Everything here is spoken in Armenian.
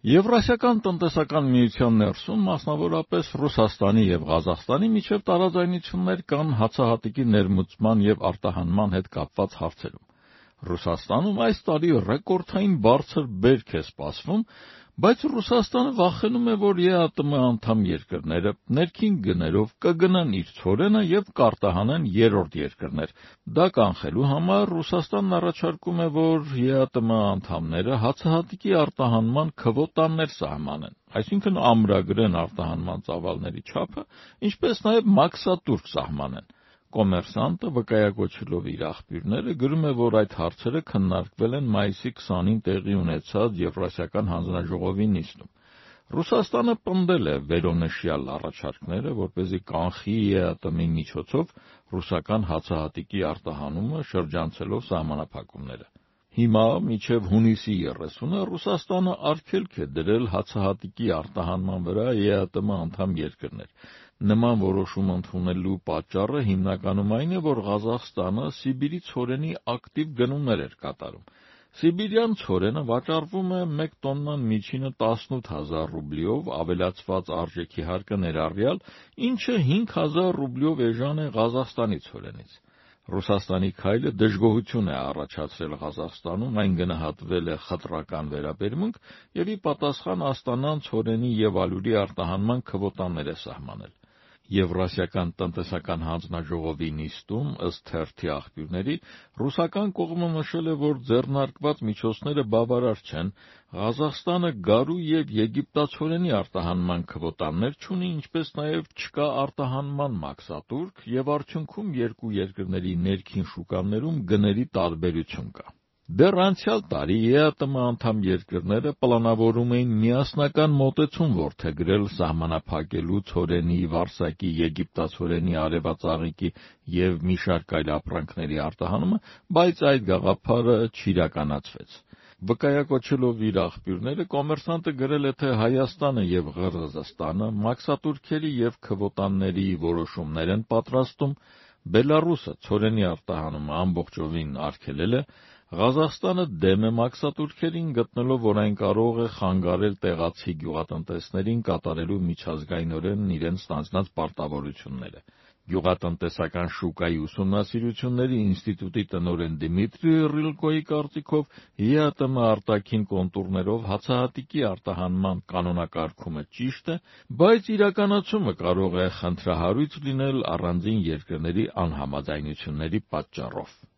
Եվրասիական տնտեսական միության ներսում, մասնավորապես Ռուսաստանի և Ղազախստանի միջև տարաձայնություններ կան հացահատիկի ներմուծման և արտահանման հետ կապված հարցերում։ Ռուսաստանում այս տարի ռեկորդային բարձր բերք է սպասվում, բայց Ռուսաստանը վախենում է, որ ԵԱՏՄ անդամ երկրները ներքին գներով կգնեն իր ցորենը և կարտահանեն երրորդ երկրներ։ Դա կանխելու համար Ռուսաստանն առաջարկում է, որ ԵԱՏՄ անդամները հացահատիկի արտահանման քվոտաներ սահմանեն, այսինքն ամրագրեն արտահանման ծավալների չափը, ինչպես նաև մաքսատուրք սահմանեն։ Կոմերսանտը, վկայակոչելով իր աղբյուրները, գրում է, որ այդ հարցերը քննարկվել են մայիսի 20-ին տեղի ունեցած Եվրասիական հանձնաժողովի նիստում։ Ռուսաստանը պնդել է վերոնշյալ առաջարկները, որպեսզի կանխի ԵԱՏՄ-ի միջոցով ռուսական հացահատիկի արտահանումը, շրջանցելով սահմանափակումները։ Հիմա, մինչև հունիսի 30-ը, Ռուսաստանը արգելք է դրել հացահատիկի արտահանման վրա ԵԱՏՄ անդամ երկրներ։ Նման որոշում ընդունելու պատճառը հիմնականում այն է, որ Ղազախստանը Սիբիրի ցորենի ակտիվ գնումներ էր կատարում։ Սիբիրյան ցորենը վաճառվում է 1 տոննան միջինը 18,000 ռուբլիով, ավելացված արժեքի հարկը ներառյալ, ինչը 5,000 ռուբլիով էժան է Ղազախստանի ցորենից։ Ռուսաստանի քայլը դժգոհություն է առաջացրել Ղազախստանում, այն գնահատվել է խտրական վերաբերմունք և ի պատասխան Աստանան ցորենի և ալյուրի արտահանման քվոտաներ է սահմանել։ Եվրասիական տնտեսական հանձնաժողովի նիստում, ըստ թերթի աղբյուրների, ռուսական կողմը նշել է, որ ձեռնարկված միջոցները բավարար չեն, Ղազախստանը գարու և եգիպտացորենի արտահանման քվոտաներ չունի, ինչպես նաև չկա արտահանման մաքսատուրք և արդյունքում երկու երկրների ներքին շուկաներում գների տարբերություն կա։ Դեռ անցյալ տարի ԵԱՏՄ անդամ երկրները պլանավորում էին միասնական մոտեցում որդեգրել սահմանափակելու ցորենի, վարսակի, եգիպտացորենի, արևածաղիկի և մի շարք այլ ապրանքների արտահանումը, բայց այդ գաղափարը չիրականացվեց։ Վկայակոչելով իր աղբյուրները, Կոմերսանտը գրել է, թե Հայաստանը և Ղրղզստանը մաքսատուրքերի և քվոտաների որոշումներ են պատրաստում, Բելառուսը ցորենի արտահանումը ամբողջովին արգելել է, Ղազախստանը դեմ է մաքսատուրքերին, գտնելով, որ այն կարող է խանգարել տեղացի գյուղատնտեսներին կատարելու միջազգայինորեն իրենց ստանձնած պարտավորությունները։ Գյուղատնտեսական շուկայի ուսումնասիրությունների ինստիտուտի տնօրեն Դմիտրի Ռիլկոյի կարծիքով, ԵԱՏՄ արտաքին կոնտուրներով հացահատիկի արտահանման կանոնակարգումը ճիշտ է, բայց իրականացումը կարող է խնդրահարույց լինել առանձին երկրների անհամաձայնությունների պատճառով։